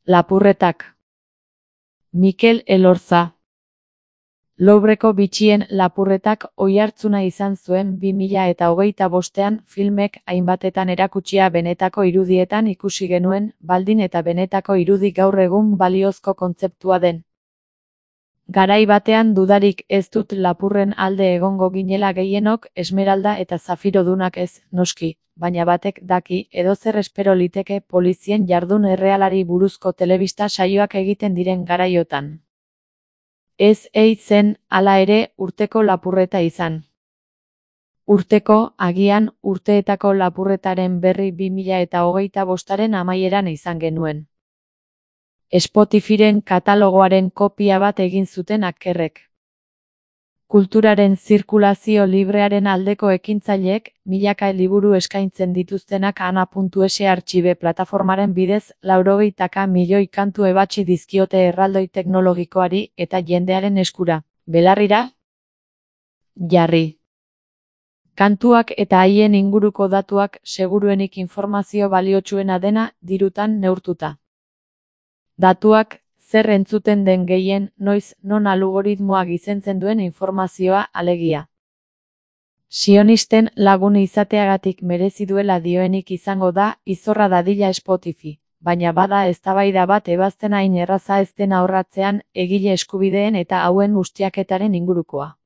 Lapurretak. Mikel Elorza. Louvreko bitxien lapurretak oihartzuna izan zuen 2025ean filmek hainbatetan erakutsia benetako irudietan ikusi genuen, baldin eta benetako irudi gaur egun baliozko kontzeptua den. Garai batean dudarik ez dut lapurren alde egongo ginela gehienok, esmeralda eta zafirodunak ez, noski, baina batek daki edozer espero liteke polizien jardun errealari buruzko telebista saioak egiten diren garaiotan. Ez ei zen, hala ere, urteko lapurreta izan. Urteko, agian, urteetako lapurretaren berri 2025aren amaieran izan genuen. Spotifyren katalogoaren kopia bat egin zuten akkerrek. Kulturaren zirkulazio librearen aldeko ekintzaileek, milaka liburu eskaintzen dituztenak ana.es artxibe plataformaren bidez 80 milioi kantu ebatsi dizkiote erraldoi teknologikoari eta jendearen eskura, belarrira jarri. Kantuak eta haien inguruko datuak seguruenik informazio baliotsuena dena dirutan neurtuta. Datuak, zer entzuten den gehien, noiz, non algoritmoa gizentzen duen informazioa alegia. Sionisten lagun izateagatik merezi duela dioenik izango da, izorra dadila Spotify, baina bada eztabaida bat ebazten hain erraza ez dena horratzean, egile eskubideen eta hauen ustiaketaren ingurukoa.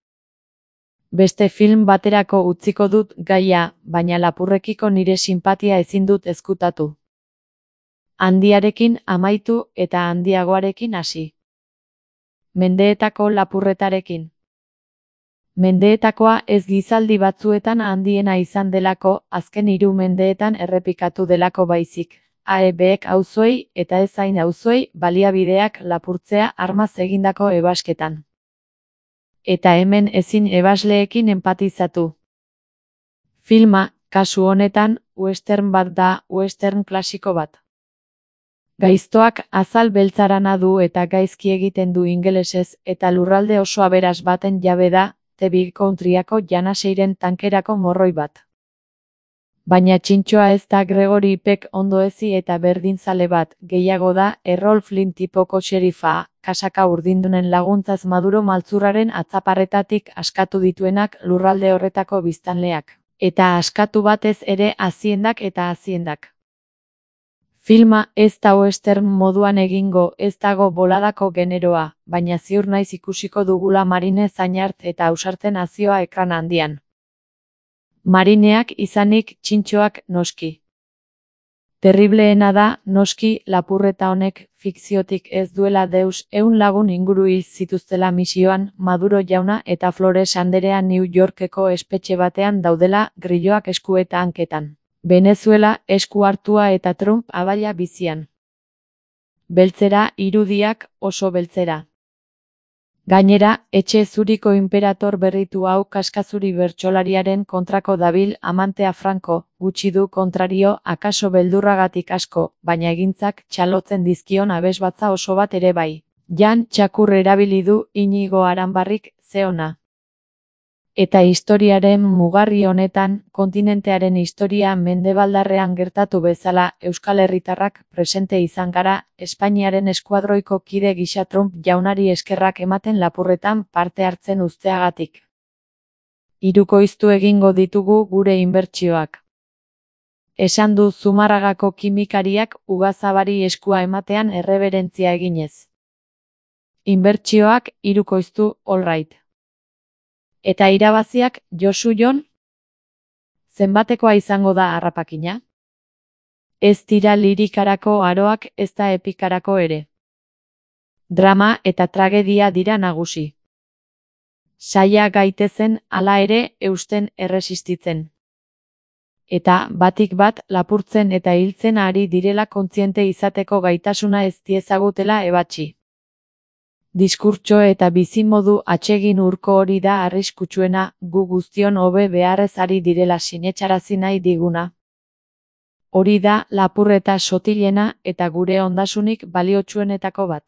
Beste film baterako utziko dut gaia, baina lapurrekiko nire sinpatia ezin dut ezkutatu. Handiarekin amaitu eta handiagoarekin hasi. Mendeetako lapurretarekin. Mendeetakoa ez gizaldi batzuetan handiena izan delako, azken 3 mendeetan errepikatu delako baizik. AEBek auzoei eta ez hain auzoei baliabideak lapurtzea armaz egindako ebasketan. Eta hemen ezin ebasleekin enpatizatu. Filma, kasu honetan, western bat da, western klasiko bat. Gaiztoak azal beltzarana du eta gaizki egiten du ingelesez eta lurralde oso aberas baten jabe da, The Big Countryako janaseiren tankerako morroi bat. Baina txintxoa ez da Gregory Peck ondoezi eta berdinzale bat, gehiago da, Errol Flynn tipoko xerifa, kasaka urdindunen laguntzaz Maduro maltzurraren atzaparretatik askatu dituenak lurralde horretako biztanleak. Eta askatu batez ere haziendak eta haziendak. Filma ez da western moduan egingo, ez dago boladako generoa, baina ziur naiz ikusiko dugula Marine Zainart eta ausarten azioa ekran handian. Marineak izanik txintxoak noski. Terribleena da, noski, lapurreta honek fikziotik ez duela deus 100 lagun inguru hil zituztela misioan, Maduro jauna eta Flores anderea New Yorkeko espetxe batean daudela grilloak esku eta hanketan. Venezuela esku hartua eta Trump abaila bizian. Beltzera, irudiak oso beltzera. Gainera, etxe zuriko imperator berritu hau kaskazuri bertsolariaren kontrako dabil amantea Franco, gutxi du kontrario, akaso beldurragatik asko, baina egintzak txalotzen dizkion abesbatza oso bat ere bai. Jan txakur erabili du Inigo Aranbarrik, ze ona. Eta historiaren mugarri honetan, kontinentearen historia mendebaldarrean gertatu bezala, Euskal Herritarrak presente izan gara, Espainiaren eskuadroiko kide gisa Trump jaunari eskerrak ematen lapurretan parte hartzen uzteagatik. Hirukoiztu egingo ditugu gure inbertsioak. Esan du Zumarragako kimikariak Ugazabari eskua ematean erreberentzia eginez. Inbertsioak hirukoiztu, all right. Eta irabaziak, Josu Jon? Zenbatekoa izango da harrapakina? Ez dira lirikarako aroak ez da epikarako ere. Drama eta tragedia dira nagusi. Saia gaitezen, hala ere, eusten erresistitzen. Eta, batik bat, lapurtzen eta hiltzen ari direla kontziente izateko gaitasuna ez diezagutela ebatsi. Diskurtso eta bizimodu atsegin urko hori da arriskutsuena, gu guztion hobe beharrez ari direla sinetsarazi nahi diguna. Hori da lapurreta sotilena eta gure ondasunik baliotsuenetako bat.